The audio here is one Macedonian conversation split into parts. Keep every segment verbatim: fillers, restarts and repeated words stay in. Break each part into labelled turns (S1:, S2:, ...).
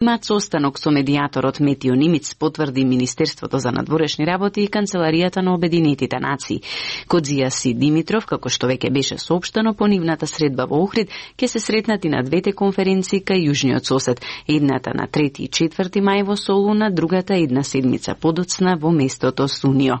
S1: Имаат состанок со медијаторот Метио Нимиц, потврди Министерството за надворешни работи и Канцеларијата на Обединетите нации. Кодзијас и Димитров, како што веќе беше соопштено по нивната средба во Охрид, ќе се сретнати на двете конференции кај јужниот сосед, едната на трети и четврти мај во Солуна, другата една седмица подоцна во местото Сунио.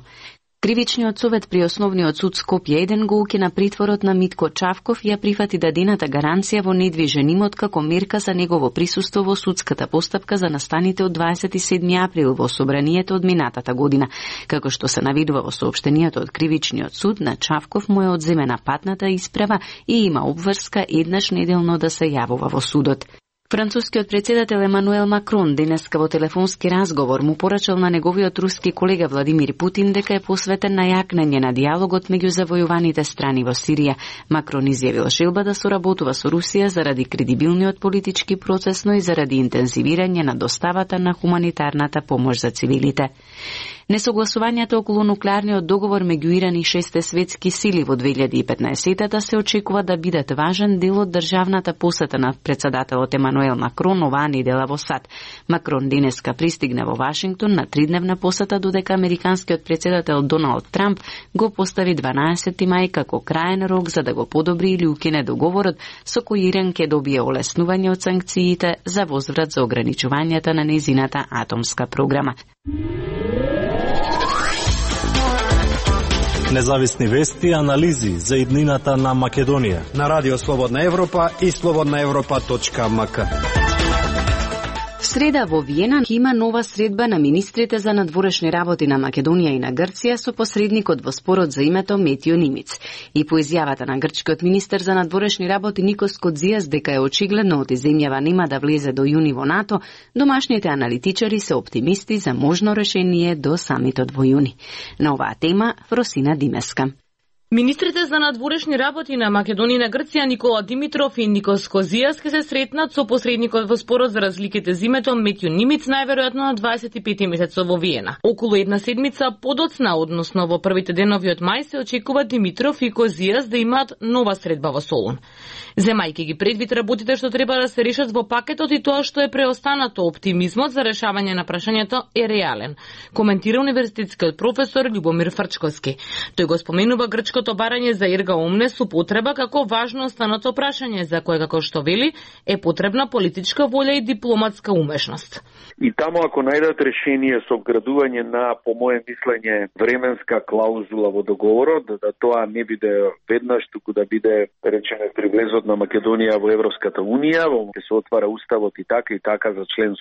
S1: Кривичниот совет при Основниот суд Скопје еден го укина притворот на Митко Чавков и ја прифати дадената гаранција во недвижен имот како мерка за негово присуство во судската постапка за настаните од дваесет и седми април во собранието од минатата година. Како што се наведува во соопштенијето од Кривичниот суд, на Чавков му е одземена патната исправа и има обврска еднаш неделно да се јавува во судот. Францускиот председател Емануел Макрон денеска во телефонски разговор му порачал на неговиот руски колега Владимир Путин дека е посветен на јакнење на диалогот меѓу завојуваните страни во Сирија. Макрон изјавил желба да соработува со Русија заради кредибилниот политички процес, но и заради интензивирање на доставата на хуманитарната помош за цивилите. Несогласувањето околу нуклеарниот договор меѓу Иран и шесте светски сили во две илјади и петнаесетата се очекува да бидат важен дел од државната посета на председателот Емануел Макрон оваа недела во САД. Макрон денеска пристигна во Вашингтон на тридневна посета, додека американскиот председател Доналд Трамп го постави дванаесети мај како краен рок за да го подобри или укине договорот со кој Иран ќе добие олеснување од санкциите за возврат за ограничувањата на нејзината атомска програма.
S2: Независни вести и анализи за иднината на Македонија
S3: на Радио Слободна Европа и слободна европа точка ем ка.
S1: Среда во Виена има нова средба на министрите за надворешни работи на Македонија и на Грција со посредникот во спорот за името Метио Нимиц. И по изјавата на грчкиот министер за надворешни работи Никос Кодзијас дека е очигледно оти земјава нема да влезе до јуни во НАТО, домашните аналитичари се оптимисти за можно решение до самитот во јуни. На оваа тема Фросина Димеска.
S4: Министрите за надворешни работи на Македонија и на Грција Никола Димитров и Никос Кодзијас ќе се сретнат со посредникот во спорот за разликите за името Метио Нимиц најверојатно на дваесет и пети месецот во Виена. Околу една седмица подоцна, односно во првите денови од мај, се очекува Димитров и Кодзијас да имаат нова средба во Солун. Земајќи ги предвид работите што треба да се решат во пакетот и тоа што е преостанато, оптимизмот за решавање на прашањето е реален, коментира универзитетскиот професор Љубомир Фрчковски. Тој го споменува грчкото барање за ерга омнес употреба како важно останато прашање за кое, како што вели, е потребна политичка волја и дипломатска умешност.
S5: И таму ако најдат решение со вградување на, по моје мислење, временска клаузула во договорот, да тоа не биде веднаш, туку да биде, речеме, при влезот на Македонија во Европската унија, во ќе се отвара уставот и така и така за член